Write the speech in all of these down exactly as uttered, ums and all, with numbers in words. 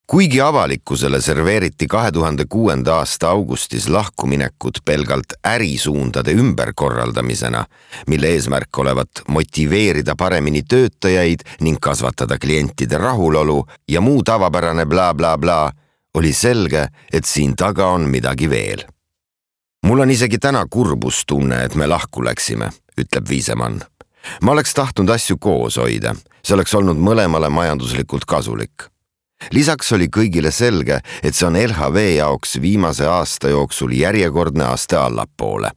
Kuigi avalikkusele serveeriti kahe tuhande kuuenda aasta augustis lahkuminekut pelgalt ärisuundade ümberkorraldamisena, mille eesmärk olevat motiveerida paremini töötajaid ning kasvatada klientide rahulolu ja muu tavapärane bla bla bla, oli selge, et siin taga on midagi veel. Mul on isegi täna kurbustunne, et me lahku läksime, ütleb Viisemann. Ma oleks tahtnud asju koos hoida, see oleks olnud mõlemale majanduslikult kasulik. Lisaks oli kõigile selge, et see on L H V jaoks viimase aasta jooksul järjekordne aste allapoole.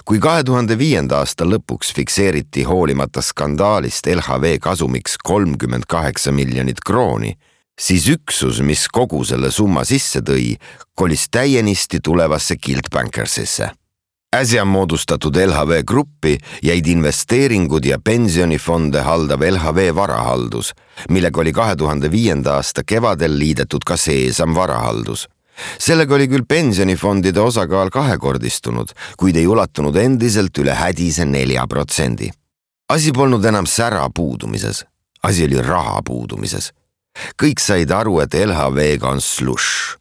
Kui kahe tuhande viienda aasta lõpuks fikseeriti hoolimata skandaalist L H V kasumiks kolmkümmend kaheksa miljonit krooni, siis üksus, mis kogu selle summa sisse tõi, kolis täienisti tulevasse Gilt Bankersisse. Äsja moodustatud L H V gruppi jäid investeeringud ja pensionifonde haldav L H V varahaldus, millega oli kahe tuhande viienda aasta kevadel liidetud ka Seesam varahaldus. Sellega oli küll pensionifondide osakaal kahekordistunud, kuid ei ulatunud endiselt üle hädise nelja protsendi. Asi polnud enam sära puudumises, asi oli raha puudumises. Kõik said aru, et L H V-ga on slush.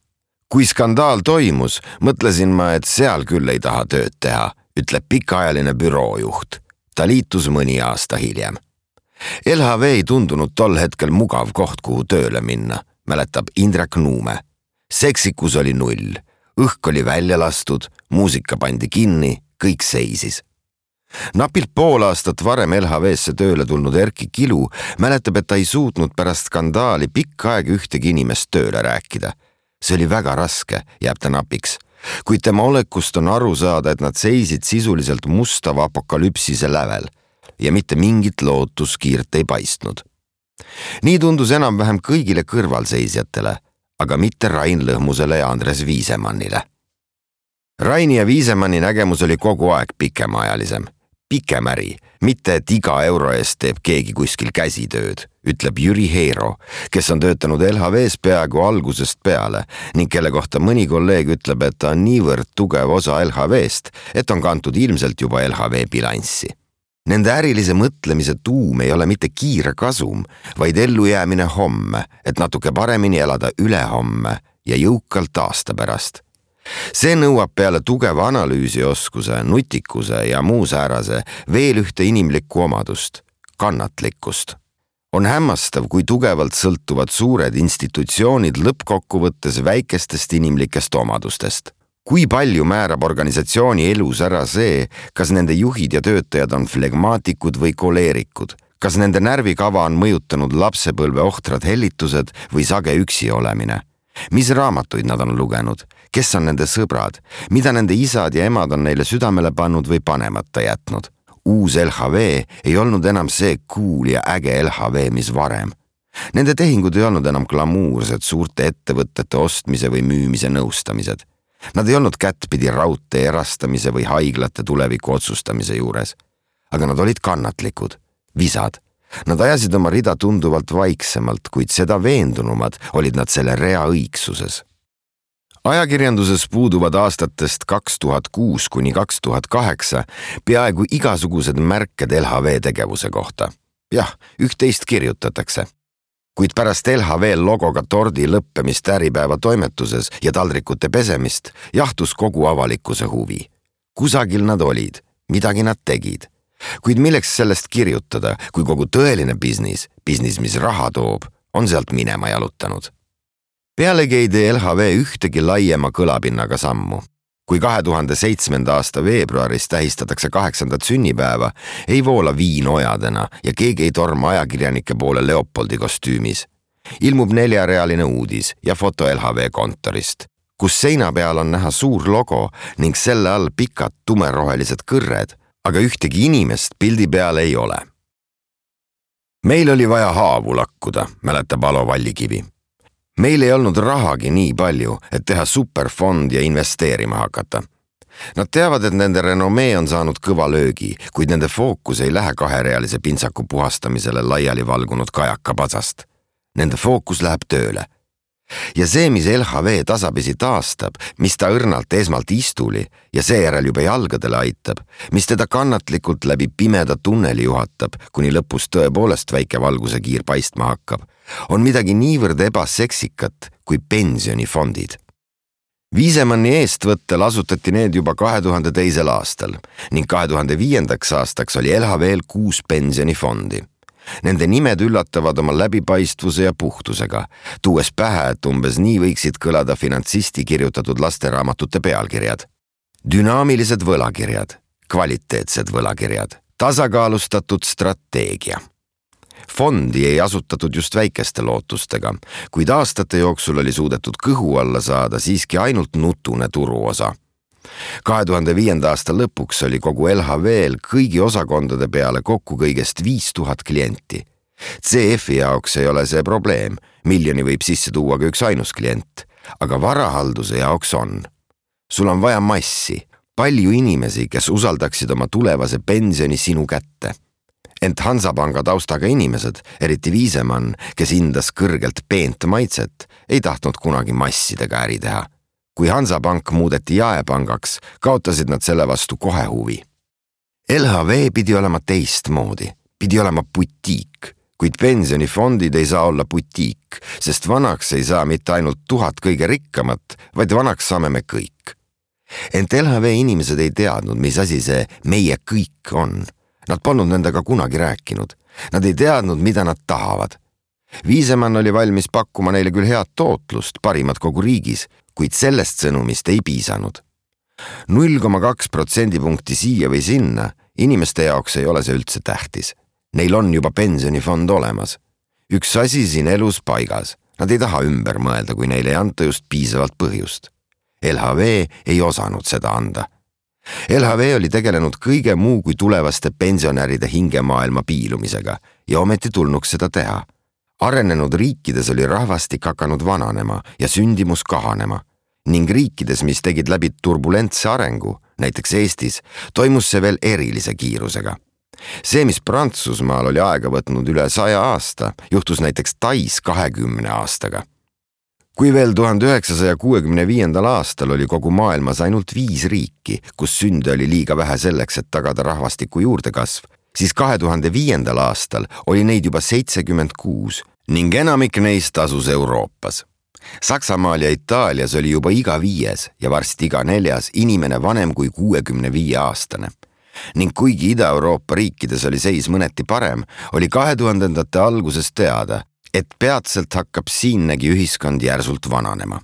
Kui skandaal toimus, mõtlesin ma, et seal küll ei taha tööd teha, ütleb pikaajaline büroojuht. Ta liitus mõni aasta hiljem. L H V ei tundunud tol hetkel mugav koht, kuhu tööle minna, mäletab Indrek Nuume. Seksikus oli null, õhk oli välja lastud, muusika pandi kinni, kõik seisis. Napilt pool aastat varem L H V-sse tööle tulnud Erki Kilu mäletab, et ta ei suutnud pärast skandaali pikka aega ühtegi inimest tööle rääkida. See oli väga raske, jääb ta napiks, kuid tema olekust on aru saada, et nad seisid sisuliselt mustava apokalüpsise lävel ja mitte mingit lootuskiirt ei paistnud. Nii tundus enam-vähem kõigile kõrvalseisjatele, aga mitte Rain Lõhmusele ja Andres Viisemannile. Raini ja Viisemanni nägemus oli kogu aeg pikemaajalisem. Pikem äri, mitte et iga euro eest teeb keegi kuskil käsitööd, ütleb Jüri Heero, kes on töötanud L H V-s peaaegu algusest peale ning kelle kohta mõni kolleeg ütleb, et ta on niivõrd tugev osa L H V-st, et on kantud ilmselt juba L H V bilanssi. Nende ärilise mõtlemise tuum ei ole mitte kiire kasum, vaid ellujäämine homme, et natuke paremini elada üle homme ja jõukalt aasta pärast. See nõuab peale tugeva analüüsioskuse, nutikuse ja muu säärase veel ühte inimlikku omadust, kannatlikkust. On hämmastav, kui tugevalt sõltuvad suured institutsioonid lõppkokkuvõttes väikestest inimlikest omadustest. Kui palju määrab organisatsiooni elus ära see, kas nende juhid ja töötajad on flegmaatikud või koleerikud, kas nende närvikava on mõjutanud lapsepõlve ohtrad hellitused või sage üksi olemine. Mis raamatuid nad on lugenud, kes on nende sõbrad, mida nende isad ja emad on neile südamele pannud või panemata jätnud. Uus L H V ei olnud enam see cool ja äge L H V, mis varem. Nende tehingud ei olnud enam glamuursed suurte ettevõtete ostmise või müümise nõustamised. Nad ei olnud kättpidi raudtee erastamise või haiglate tuleviku otsustamise juures. Aga nad olid kannatlikud, visad. Nad ajasid oma rida tunduvalt vaiksemalt, kuid seda veendunumad olid nad selle rea õigsuses. Ajakirjanduses puuduvad aastatest kaks tuhat kuus kuni kaks tuhat kaheksa peaaegu igasugused märked L H V tegevuse kohta. Jah, üht-teist kirjutatakse. Kuid pärast L H V logoga tordi lõppemist Äripäeva toimetuses ja taldrikute pesemist jahtus kogu avalikkuse huvi. Kusagil nad olid, midagi nad tegid. Kuid milleks sellest kirjutada, kui kogu tõeline biznis, biznis, mis raha toob, on sealt minema jalutanud. Pealegi ei tee L H V ühtegi laiema kõlapinnaga sammu. Kui kahe tuhande seitsmenda aasta veebruaris tähistatakse kaheksandat sünnipäeva, ei voola viin ojadena ja keegi ei torma ajakirjanike poole Leopoldi kostüümis. Ilmub neljarealine uudis ja foto L H V kontorist, kus seina peal on näha suur logo ning selle all pikad tumerohelised kõrred, aga ühtegi inimest pildi peal ei ole. Meil oli vaja haavu lakkuda, mäletab Alo Vallikivi. Meil ei olnud rahagi nii palju, et teha superfond ja investeerima hakata. Nad teavad, et nende renomee on saanud kõva löögi, kuid nende fookus ei lähe kaherealise pintsaku puhastamisele laiali valgunud kajaka patsast. Nende fookus läheb tööle. ja see, mis L H V tasapisi taastab, mis ta õrnalt esmalt istuli ja seejärel juba jalgadele aitab, mis teda kannatlikult läbi pimeda tunneli juhatab, kuni lõpus tõepoolest väike valguse kiir paistma hakkab, on midagi niivõrd ebaseksikat kui pensionifondid. Viisemanni eestvõttel asutati need juba kahe tuhande teisel aastal ning kahe tuhande viiendaks aastaks oli L H V-l kuus pensionifondi. Nende nimed üllatavad oma läbipaistvuse ja puhtusega, tuues pähe, et umbes nii võiksid kõlada finantsisti kirjutatud lasteraamatute pealkirjad. Dünaamilised võlakirjad, kvaliteetsed võlakirjad, tasakaalustatud strateegia. Fondi ei asutatud just väikeste lootustega, kuid aastate jooksul oli suudetud kõhu alla saada siiski ainult nutune turuosa. kahe tuhande viienda aasta lõpuks oli kogu L H V-l kõigi osakondade peale kokku kõigest viis tuhat klienti. C F-i jaoks ei ole see probleem, miljoni võib sisse tuua ka üks ainus klient, aga varahalduse jaoks on. Sul on vaja massi, palju inimesi, kes usaldaksid oma tulevase pensioni sinu kätte. Ent Hansapanga taustaga inimesed, eriti Viisemann, kes hindas kõrgelt peent maitset, ei tahtnud kunagi massidega äri teha. Kui Hansapank muudeti jaepangaks, kaotasid nad selle vastu kohe huvi. L H V pidi olema teistmoodi, pidi olema butiik, kuid pensionifondid ei saa olla butiik, sest vanaks ei saa mitte ainult tuhat kõige rikkamat, vaid vanaks saame me kõik. Ent L H V inimesed ei teadnud, mis asi see meie kõik on. Nad polnud nendega kunagi rääkinud. Nad ei teadnud, mida nad tahavad. Viisemann oli valmis pakkuma neile küll head tootlust, parimat kogu riigis, kuid sellest sõnumist ei piisanud. null koma kaks protsendipunkti siia või sinna, inimeste jaoks ei ole see üldse tähtis. Neil on juba pensionifond olemas. Üks asi siin elus paigas. Nad ei taha ümber mõelda, kui neile ei anta just piisavalt põhjust. L H V ei osanud seda anda. L H V oli tegelenud kõige muu kui tulevaste pensionäride hingemaailma piilumisega ja ometi tulnuks seda teha. Arenenud riikides oli rahvastik hakanud vananema ja sündimus kahanema ning riikides, mis tegid läbi turbulentse arengu, näiteks Eestis, toimus see veel erilise kiirusega. See, mis Prantsusmaal oli aega võtnud üle saja aasta, juhtus näiteks Tais kahekümne aastaga. Kui veel tuhande üheksasaja kuuekümne viiendal aastal oli kogu maailmas ainult viis riiki, kus sünde oli liiga vähe selleks, et tagada rahvastiku juurdekasv, siis kahe tuhande viiendal aastal oli neid juba seitsekümmend kuus ning enamik neist asus Euroopas. Saksamaal ja Itaalias oli juba iga viies ja varsti iga neljas inimene vanem kui kuuekümne viie aastane. Ning kuigi Ida-Euroopa riikides oli seis mõneti parem, oli kahe tuhandendate alguses teada, et peatselt hakkab siinnegi ühiskond järsult vananema.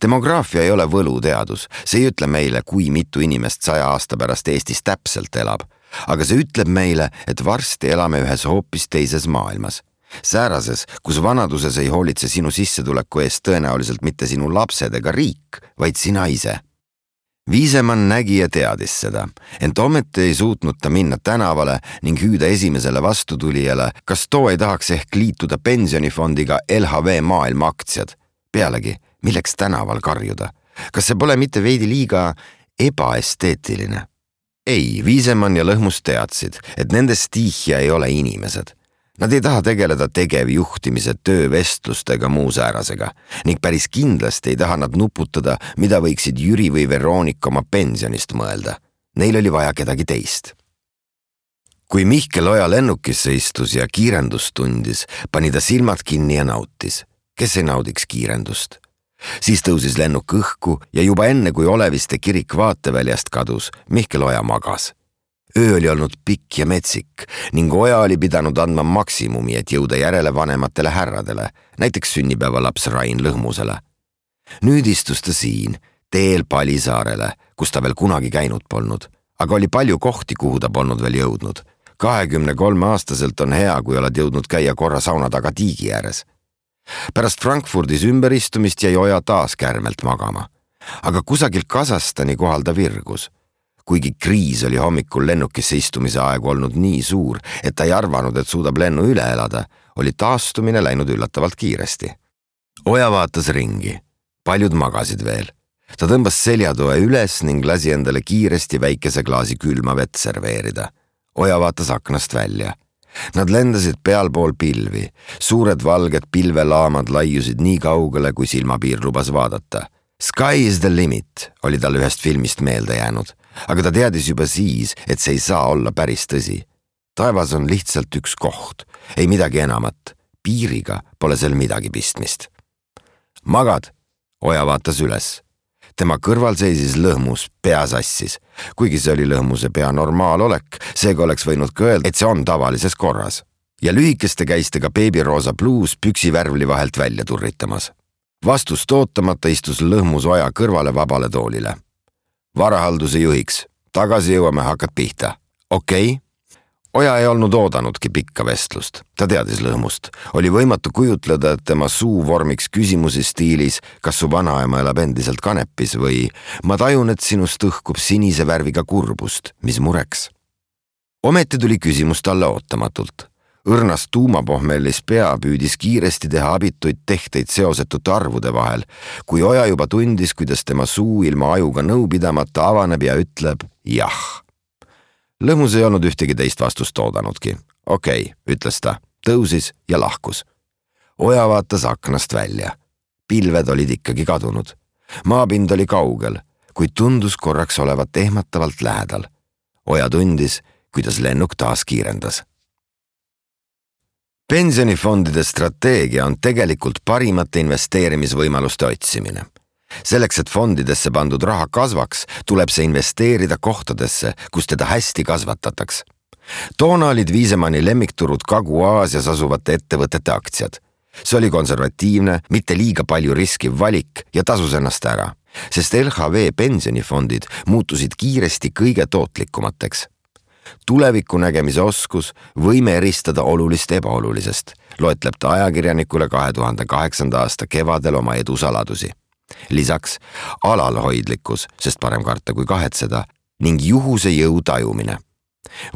Demograafia ei ole võluteadus, see ei ütle meile, kui mitu inimest saja aasta pärast Eestis täpselt elab, aga see ütleb meile, et varsti elame ühes hoopis teises maailmas. Säärases, kus vanaduses ei hoolitse sinu sissetuleku eest tõenäoliselt mitte sinu lapsed ega riik, vaid sina ise. Viisemann nägi ja teadis seda, ent ometi ei suutnud ta minna tänavale ning hüüda esimesele vastutulijale, kas too ei tahaks ehk liituda pensionifondiga L H V maailma aktsiad. Pealegi, milleks tänaval karjuda? Kas see pole mitte veidi liiga ebaesteetiline? Ei, Viisemann ja Lõhmus teadsid, et nende stiihia ei ole inimesed. Nad ei taha tegeleda tegevjuhtimise, töövestlustega muu säärasega ning päris kindlasti ei taha nad nuputada, mida võiksid Jüri või Veroonika oma pensionist mõelda. Neil oli vaja kedagi teist. Kui Mihkel Oja lennukisse istus ja kiirendust tundis, pani ta silmad kinni ja nautis. Kes ei naudiks kiirendust? Siis tõusis lennuk õhku ja juba enne, kui Oleviste kirik vaateväljast kadus, Mihkel Oja magas. Öö oli olnud pikk ja metsik ning Oja oli pidanud andma maksimumi, et jõuda järele vanematele härradele, näiteks sünnipäevalaps Rain Lõhmusele. Nüüd istus ta siin, teel Palisaarele, kus ta veel kunagi käinud polnud, aga oli palju kohti, kuhu ta polnud veel jõudnud. kahekümne kolme aastaselt on hea, kui oled jõudnud käia korra sauna taga tiigi ääres. Pärast Frankfurdis ümberistumist jäi Oja taas kärmelt magama, aga kusagil Kasahstani kohal ta virgus. Kuigi kriis oli hommikul lennukisse istumise aegu olnud nii suur, et ta ei arvanud, et suudab lennu üle elada, oli taastumine läinud üllatavalt kiiresti. Oja vaatas ringi. Paljud magasid veel. Ta tõmbas seljatoe üles ning lasi endale kiiresti väikese klaasi külma vett serveerida. Oja vaatas aknast välja. Nad lendasid pealpool pilvi, suured valged pilvelaamad laiusid nii kaugele, kui silmapiir lubas vaadata. Sky is the limit oli tal ühest filmist meelde jäänud, aga ta teadis juba siis, et see ei saa olla päris tõsi. Taevas on lihtsalt üks koht, ei midagi enamat. Piiriga pole seal midagi pistmist. Magad, Oja vaatas üles. Tema kõrval seisis lõhmus, pea sassis. Kuigi see oli lõhmuse pea normaalolek, seega oleks võinud ka öelda, et see on tavalises korras. Ja lühikeste käistega beebiroosa bluus püksi värvli vahelt välja turritamas. Vastust ootamata istus lõhmus Oja kõrvale vabale toolile. Varahalduse juhiks. Tagasi jõuame, hakkad pihta. Okei? Okay? Oja ei olnud oodanudki pikka vestlust. Ta teadis lõhmust. Oli võimatu kujutleda, et tema suu vormiks küsimusi stiilis, kas su vanaema elab endiselt kanepis või ma tajun, et sinust õhkub sinise värviga kurbust, mis mureks. Ometi tuli küsimus talle ootamatult. Õrnas tuumapohmellis pea püüdis kiiresti teha abituid tehteid seosetute arvude vahel, kui Oja juba tundis, kuidas tema suu ilma ajuga nõu pidamata avaneb ja ütleb jah. Lõhmus ei olnud ühtegi teist vastust oodanudki. Okei, okay, ütles ta, tõusis ja lahkus. Oja vaatas aknast välja. Pilved olid ikkagi kadunud. Maapind oli kaugel, kuid tundus korraks olevat ehmatavalt lähedal. Oja tundis, kuidas lennuk taas kiirendas. Pensionifondide strateegia on tegelikult parimate investeerimisvõimaluste otsimine. Selleks, et fondidesse pandud raha kasvaks, tuleb see investeerida kohtadesse, kus teda hästi kasvatataks. Toona olid Viisemanni lemmikturud Kagu-Aasias asuvate ettevõtete aktsiad. See oli konservatiivne, mitte liiga palju riskiv valik ja tasus ennast ära, sest L H V pensionifondid muutusid kiiresti kõige tootlikumateks. Tuleviku nägemise oskus, võime eristada olulist ebaolulisest, loetleb ta ajakirjanikule kahe tuhande kaheksanda aasta kevadel oma edu saladusi. Lisaks alalhoidlikkus, sest parem karta kui kahetseda, ning juhuse jõu tajumine.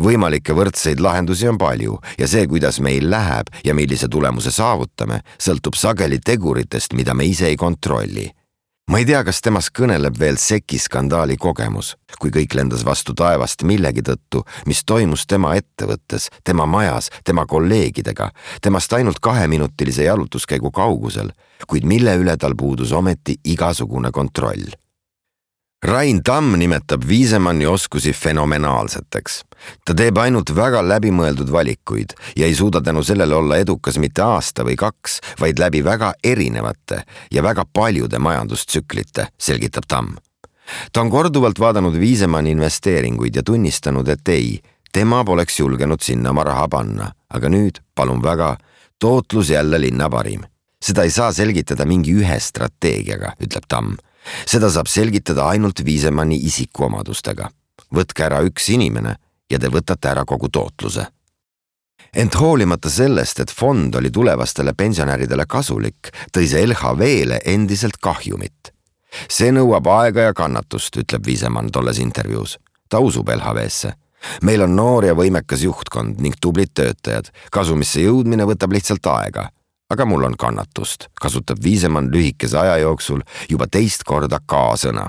Võimalikke võrdseid lahendusi on palju ja see, kuidas meil läheb ja millise tulemuse saavutame, sõltub sageli teguritest, mida me ise ei kontrolli. Ma ei tea, kas temas kõneleb veel seki skandaali kogemus, kui kõik lendas vastu taevast millegi tõttu, mis toimus tema ettevõttes, tema majas, tema kolleegidega, temast ainult kaheminutilise jalutuskäigu kaugusel, kuid mille üle tal puudus ometi igasugune kontroll. Rain Tamm nimetab Viisemanni oskusi fenomenaalseteks. Ta teeb ainult väga läbimõeldud valikuid ja ei suuda tänu sellele olla edukas mitte aasta või kaks, vaid läbi väga erinevate ja väga paljude majandustsüklite, selgitab Tamm. Ta on korduvalt vaadanud Viisemanni investeeringuid ja tunnistanud, et ei, tema poleks julgenud sinna oma raha panna, aga nüüd, palun väga, tootlus jälle linna parim. Seda ei saa selgitada mingi ühe strateegiaga, ütleb Tamm. Seda saab selgitada ainult Viisemanni isikuomadustega. Võtke ära üks inimene ja te võtate ära kogu tootluse. Ent hoolimata sellest, et fond oli tulevastele pensionäridele kasulik, tõi see L H V-le endiselt kahjumit. See nõuab aega ja kannatust, ütleb Viisemann tolles intervjuus. Ta usub L H V-sse. Meil on noor ja võimekas juhtkond ning tublid töötajad. Kasumisse jõudmine võtab lihtsalt aega. Aga mul on kannatust, kasutab Viisemann lühikese aja jooksul juba teist korda K-sõna.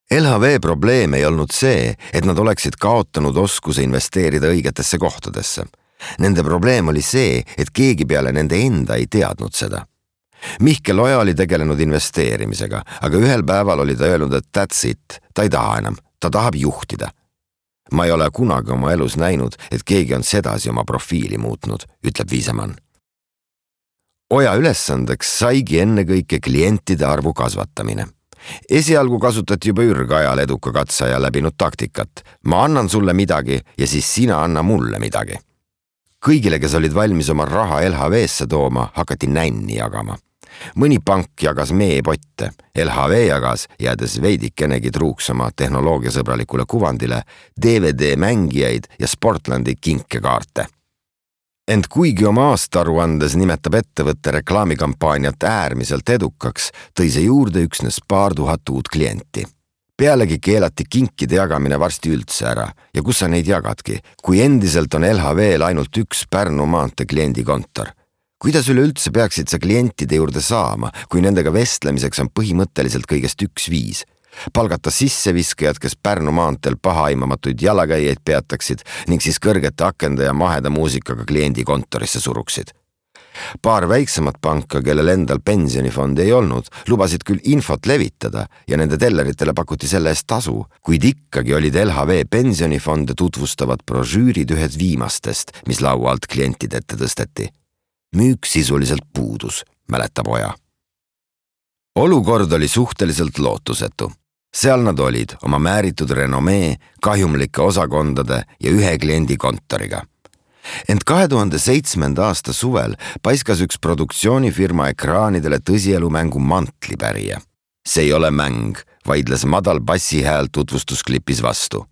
L H V probleem ei olnud see, et nad oleksid kaotanud oskuse investeerida õigetesse kohtadesse. Nende probleem oli see, et keegi peale nende enda ei teadnud seda. Mihkel Oja oli tegelenud investeerimisega, aga ühel päeval oli ta öelnud, et that's it, ta ei taha enam, ta tahab juhtida. Ma ei ole kunagi oma elus näinud, et keegi on sedasi oma profiili muutnud, ütleb Viisemann. Oja ülesandeks saigi ennekõike klientide arvu kasvatamine. Esialgu kasutati juba ürgajal eduka katsaja läbinud taktikat. Ma annan sulle midagi ja siis sina anna mulle midagi. Kõigile, kes olid valmis oma raha L H V-sse tooma, hakati nänni jagama. Mõni pank jagas meepotte, L H V jagas, jäädes veidikenegi truuks oma tehnoloogiasõbralikule kuvandile, D V D-mängijaid ja Sportlandi kinkekaarte. Ent kuigi oma aastaaruandes nimetab ettevõtte reklaamikampaaniat äärmiselt edukaks, tõi see juurde üksnes paar tuhat uut klienti. Pealegi keelati kinkide jagamine varsti üldse ära ja kus sa neid jagadki, kui endiselt on L H V-l ainult üks Pärnu maantee kliendikontor. Kuidas üleüldse peaksid sa klientide juurde saama, kui nendega vestlemiseks on põhimõtteliselt kõigest üks viis? palgata sisseviskajad, kes Pärnu maanteel pahaaimamatuid jalakäijaid peataksid ning siis kõrgete akende ja maheda muusikaga kliendi kontorisse suruksid. Paar väiksemat panka, kellel endal pensionifondi ei olnud, lubasid küll infot levitada ja nende telleritele pakuti selle eest tasu, kuid ikkagi olid L H V pensionifonde tutvustavad brošüürid ühed viimastest, mis laua alt klientide ette tõsteti. Müük sisuliselt puudus, mäletab Oja. Olukord oli suhteliselt lootusetu. Seal nad olid oma määritud renomee, kahjumlike osakondade ja ühe kliendi kontoriga. Ent kahe tuhande seitsmenda aasta suvel paiskas üks produktsioonifirma ekraanidele tõsielumängu Mantlipärija. See ei ole mäng, vaidles madal bassihääl tutvustusklipis vastu.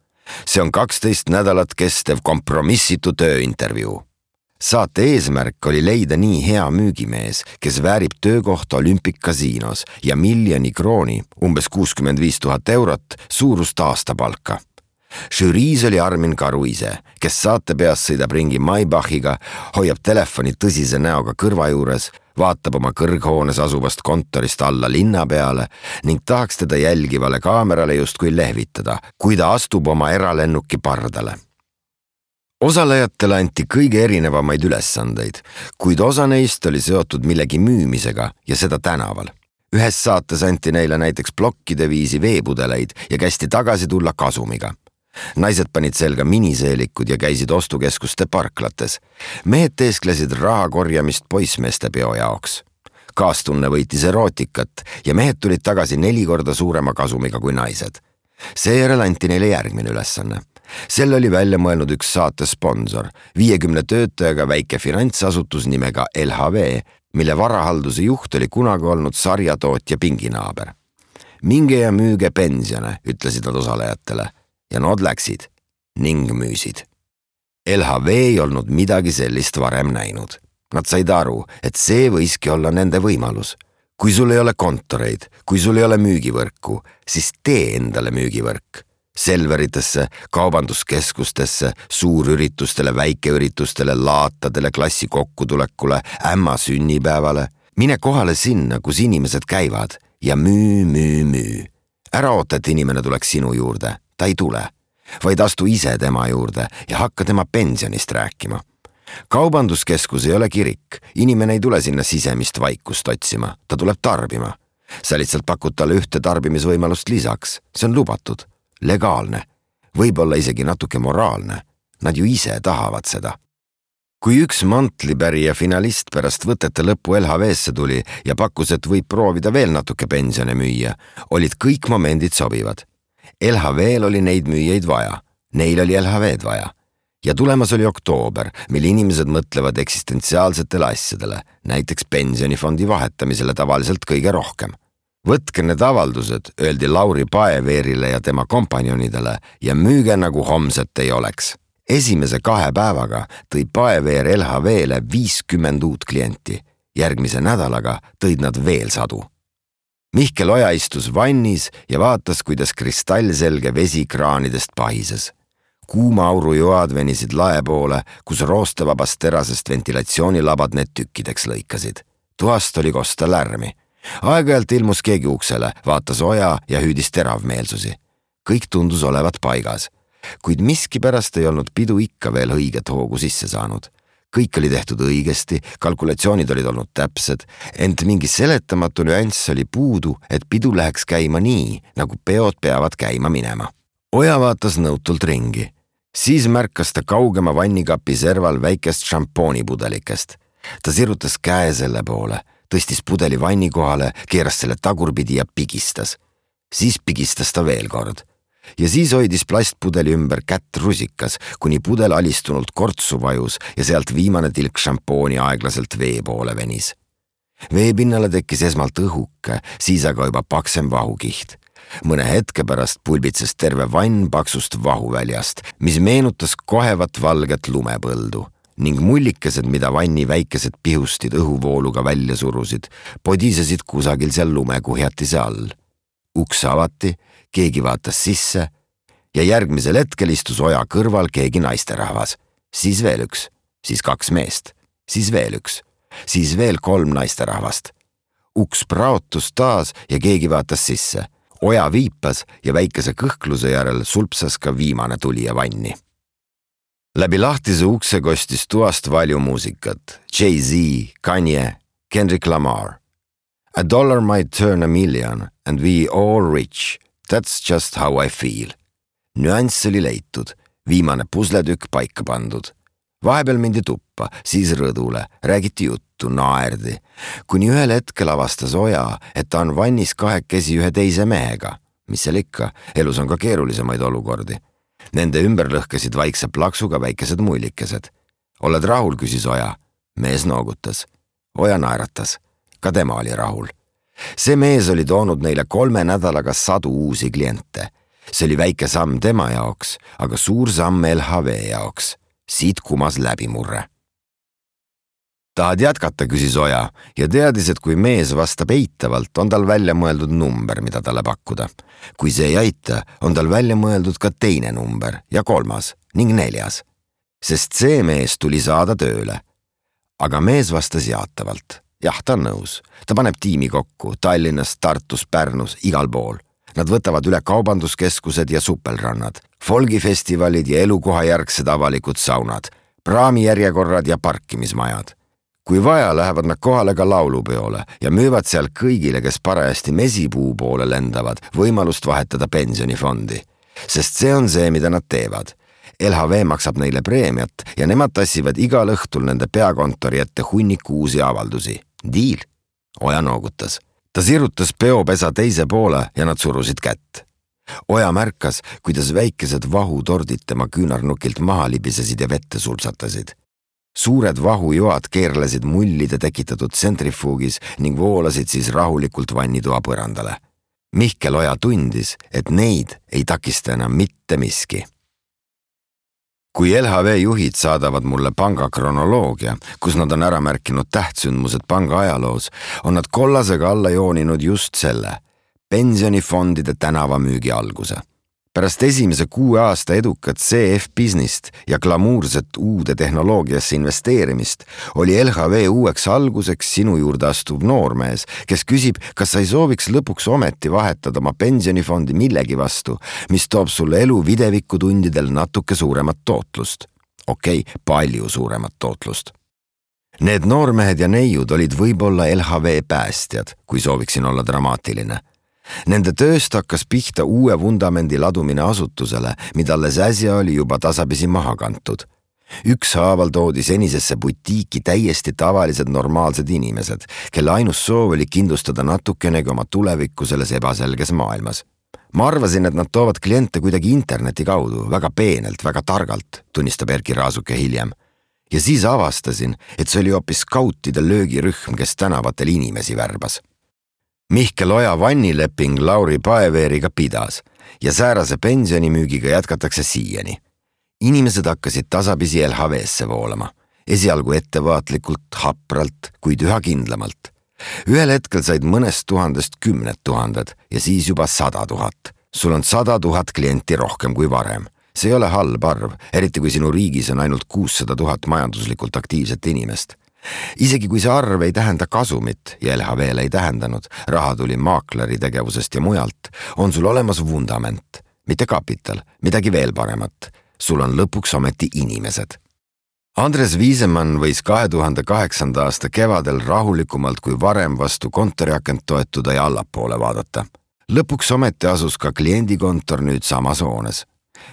See on kaksteist nädalat kestev kompromissitu tööintervjuu. Saate eesmärk oli leida nii hea müügimees, kes väärib töökohta Olympic-kasiinos ja miljoni krooni, umbes kuuskümmend viis tuhat eurot, suurust aastapalka. Žüriis oli Armin Karu ise, kes saate peas sõidab ringi Maybachiga, hoiab telefoni tõsise näoga kõrva juures, vaatab oma kõrghoones asuvast kontorist alla linna peale ning tahaks teda jälgivale kaamerale justkui lehvitada, kui ta astub oma eralennuki pardale. Osalejatele anti kõige erinevamaid ülesandeid, kuid osa neist oli seotud millegi müümisega ja seda tänaval. Ühes saates anti neile näiteks plokkide viisi veepudeleid ja kästi tagasi tulla kasumiga. Naised panid selga miniseelikud ja käisid ostukeskuste parklates. Mehed teesklesid raha korjamist poissmeeste peo jaoks. Kaastunne võitis erootikat ja mehed tulid tagasi neli korda suurema kasumiga kui naised. Seejärel anti neile järgmine ülesanne. Selle oli välja mõelnud üks saate sponsor, viiekümne töötajaga väike finantsasutus nimega L H V, mille varahalduse juht oli kunagi olnud sarjatootja pinginaaber. Minge ja müüge pensione, ütlesid nad osalejatele. Ja nad läksid ning müüsid. L H V ei olnud midagi sellist varem näinud. Nad said aru, et see võiski olla nende võimalus. Kui sul ei ole kontoreid, kui sul ei ole müügivõrku, siis tee endale müügivõrk. Selveritesse, kaubanduskeskustesse, suurüritustele, väikeüritustele, laatadele, klassi kokkutulekule, ämma sünnipäevale. Mine kohale sinna, kus inimesed käivad ja müü, müü, müü. Ära oota, et inimene tuleks sinu juurde. Ta ei tule, vaid astu ise tema juurde ja hakka tema pensionist rääkima. Kaubanduskeskus ei ole kirik, inimene ei tule sinna sisemist vaikust otsima, ta tuleb tarbima. Sa lihtsalt pakud talle ühte tarbimisvõimalust lisaks, see on lubatud, legaalne, võib-olla isegi natuke moraalne. Nad ju ise tahavad seda. Kui üks Mantlipärija finalist pärast võtete lõppu L H V-sse tuli ja pakkus, et võib proovida veel natuke pensione müüa, olid kõik momendid sobivad. L H V-l oli neid müüjaid vaja, neil oli L H V-d vaja. Ja tulemas oli oktoober, mil inimesed mõtlevad eksistentsiaalsetele asjadele, näiteks pensionifondi vahetamisele tavaliselt kõige rohkem. Võtke need avaldused, öeldi Lauri Paeveerile ja tema kompanjonidele ja müüge nagu homset ei oleks. Esimese kahe päevaga tõi Paeveer L H V-le viiskümmend uut klienti. Järgmise nädalaga tõid nad veel sadu. Mihkel Oja istus vannis ja vaatas, kuidas kristallselge vesi kraanidest pahises. Kuuma aurujoad venisid lae poole, kus roostevabast terasest ventilatsioonilabad need tükkideks lõikasid. Tuast oli kosta lärmi. Aeg-ajalt ilmus keegi uksele, vaatas Oja ja hüüdis teravmeelsusi. Kõik tundus olevat paigas, kuid miskipärast ei olnud pidu ikka veel õiget hoogu sisse saanud. Kõik oli tehtud õigesti, kalkulatsioonid olid olnud täpsed, ent mingi seletamatu nüanss oli puudu, et pidu läheks käima nii, nagu peod peavad käima minema. Oja vaatas nõutult ringi. Siis märkas ta kaugema vannikapi serval väikest šampoonipudelikest. Ta sirutas käe selle poole, tõstis pudeli vanni kohale, keeras selle tagurpidi ja pigistas. Siis pigistas ta veel kord. Ja siis hoidis plastpudeli ümber kätt rusikas, kuni pudel alistunult kortsu vajus ja sealt viimane tilk šampooni aeglaselt vee poole venis. Veepinnale tekkis esmalt õhuke, siis aga juba paksem vahukiht. Mõne hetke pärast pulbitses terve vann paksust vahuväljast, mis meenutas kohevat valget lumepõldu ning mullikesed, mida vanni väikesed pihustid õhuvooluga välja surusid, podisesid kusagil seal lumekuhjatise all. Uks avati, keegi vaatas sisse ja järgmisel hetkel istus Oja kõrval keegi naisterahvas. Siis veel üks, siis kaks meest, siis veel üks, siis veel kolm naisterahvast. Uks praotus taas ja keegi vaatas sisse. Oja viipas ja väikese kõhkluse järel sulpsas ka viimane tulija vanni. Läbi lahtise ukse kostis tuast valju muusikat. Jay-Z, Kanye, Kendrick Lamar. A dollar might turn a million and we all rich. That's just how I feel. Nüanss oli leitud, viimane pusletükk paika pandud. Vahepeal mindi tuppa, siis rõdule, räägiti juttu, naerdi. Kuni ühel hetkel avastas Oja, et ta on vannis kahekesi ühe teise mehega. Mis seal ikka, elus on ka keerulisemaid olukordi. Nende ümber lõhkesid vaikse plaksuga väikesed mullikesed. Oled rahul, küsis Oja. Mees noogutas. Oja naeratas. Ka tema oli rahul. See mees oli toonud neile kolme nädalaga sadu uusi kliente. See oli väike samm tema jaoks, aga suur samm L H V jaoks. Siit kumas läbimurre. Tahad jätkata, küsis Oja ja teadis, et kui mees vastab eitavalt, on tal välja mõeldud number, mida talle pakkuda. Kui see ei aita, on tal välja mõeldud ka teine number ja kolmas ning neljas. Sest see mees tuli saada tööle. Aga mees vastas jaatavalt. Jah, ta on nõus. Ta paneb tiimi kokku Tallinnas, Tartus, Pärnus, igal pool. Nad võtavad üle kaubanduskeskused ja supelrannad, folgifestivalid ja elukohajärgsed avalikud saunad, praamijärjekorrad ja parkimismajad. Kui vaja, lähevad nad kohale ka laulupeole ja müüvad seal kõigile, kes parajasti mesipuu poole lendavad, võimalust vahetada pensionifondi. Sest see on see, mida nad teevad. L H V maksab neile preemiat ja nemad tassivad igal õhtul nende peakontori ette hunniku uusi avaldusi. Diil? Oja noogutas. Ta sirutas peopesa teise poole ja nad surusid kätt. Oja märkas, kuidas väikesed vahutordid tema küünarnukilt maha libisesid ja vette sulsatasid. Suured vahujoad keerlesid mullide tekitatud tsentrifuugis ning voolasid siis rahulikult vannitoa põrandale. Mihkel Oja tundis, et neid ei takista enam mitte miski. Kui L H V juhid saadavad mulle panga kronoloogia, kus nad on ära märkinud tähtsündmused panga ajaloos, on nad kollasega alla jooninud just selle, pensionifondide tänavamüügi alguse. Pärast esimese kuue aasta edukat C F business't ja glamuurset uude tehnoloogiasse investeerimist oli L H V uueks alguseks sinu juurde astuv noormees, kes küsib, kas sa ei sooviks lõpuks ometi vahetada oma pensionifondi millegi vastu, mis toob sulle elu videvikutundidel natuke suuremat tootlust. Okei, okay, palju suuremat tootlust. Need noormehed ja neiud olid võib-olla L H V päästjad, kui sooviksin olla dramaatiline. Nende tööst hakkas pihta uue vundamendi ladumine asutusele, mida alles äsja oli juba tasapisi maha kantud. Ükshaaval toodi senisesse butiiki täiesti tavalised normaalsed inimesed, kelle ainus soov oli kindlustada natukenegi oma tulevikku selles ebaselges maailmas. Ma arvasin, et nad toovad kliente kuidagi interneti kaudu, väga peenelt, väga targalt, tunnistab Erki Raasuke hiljem. Ja siis avastasin, et see oli hoopis skautide löögirühm, kes tänavatel inimesi värbas. Mihkel Oja vannileping Lauri Paeveeriga pidas ja säärase pensionimüügiga jätkatakse siiani. Inimesed hakkasid tasapisi L H V-sse voolama, esialgu ettevaatlikult, hapralt, kuid üha kindlamalt. Ühel hetkel said mõnest tuhandest kümned tuhanded ja siis juba sada tuhat. Sul on sada tuhat klienti rohkem kui varem. See ei ole halb arv, eriti kui sinu riigis on ainult kuussada tuhat majanduslikult aktiivset inimest. Isegi kui see arv ei tähenda kasumit ja L H V-le ei tähendanud, raha tuli maakleri tegevusest ja mujalt, on sul olemas vundament, mitte kapital, midagi veel paremat. Sul on lõpuks ometi inimesed. Andres Viisemann võis kahe tuhande kaheksanda aasta kevadel rahulikumalt kui varem vastu kontoriakent toetuda ja allapoole vaadata. Lõpuks ometi asus ka kliendikontor nüüd samas hoones.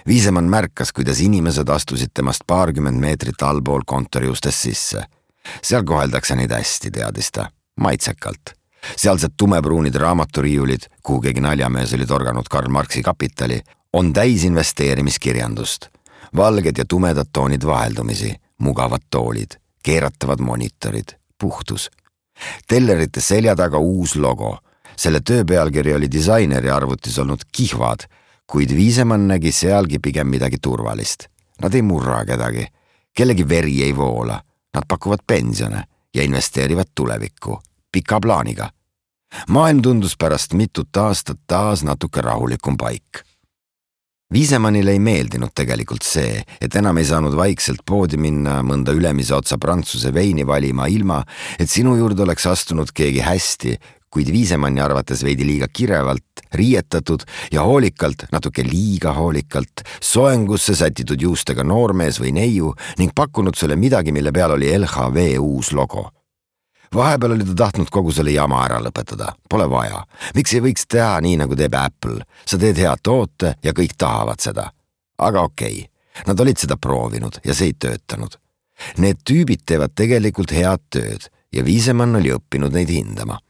Viisemann märkas, kuidas inimesed astusid temast paarkümmend meetrit allpool kontori ustest sisse. Seal koheldakse neid hästi, teadis ta, maitsekalt. Sealsed tumepruunid raamaturiiulid, kuhu keegi naljamees oli torganud Karl Marxi kapitali, on täis investeerimiskirjandust. Valged ja tumedad toonid vaheldumisi, mugavad toolid, keeratavad monitorid, puhtus. Tellerite selja taga uus logo. Selle töö pealkiri oli disaineri arvutis olnud kihvad, kuid Viisemann nägi sealgi pigem midagi turvalist. Nad ei murra kedagi, kellegi veri ei voola. Nad pakuvad pensione ja investeerivad tulevikku, pika plaaniga. Maailm tundus pärast mitut aastat taas natuke rahulikum paik. Viisemannile ei meeldinud tegelikult see, et enam ei saanud vaikselt poodi minna mõnda ülemise otsa prantsuse veini valima ilma, et sinu juurde oleks astunud keegi hästi, kuid Viisemanni arvates veidi liiga kirevalt, riietatud ja hoolikalt, natuke liiga hoolikalt, soengusse sätitud juustega noormees või neiu ning pakkunud sulle midagi, mille peal oli L H V uus logo. Vahepeal oli ta tahtnud kogu selle jama ära lõpetada. Pole vaja. Miks ei võiks teha nii, nagu teeb Apple? Sa teed hea toote ja kõik tahavad seda. Aga okei, nad olid seda proovinud ja see ei töötanud. Need tüübid teevad tegelikult head tööd ja Viisemann oli õppinud neid hindama.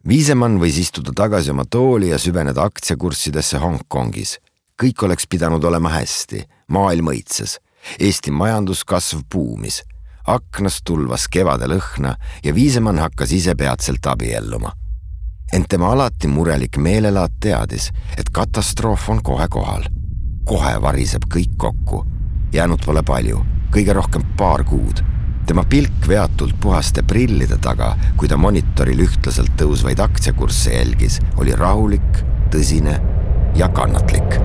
Viisemann võis istuda tagasi oma tooli ja süveneda aktsiakurssidesse Hongkongis. Kõik oleks pidanud olema hästi. Maailm õitses. Eesti majanduskasv buumis. Aknast tulvas kevade lõhna ja Viisemann hakkas ise peatselt abielluma. Ent tema alati murelik meelelaad teadis, et katastroof on kohe kohal. Kohe variseb kõik kokku. Jäänud pole palju, kõige rohkem paar kuud. Tema pilk veatult puhaste prillide taga, kui ta monitoril ühtlaselt tõusvaid aktsiakursse jälgis, oli rahulik, tõsine ja kannatlik.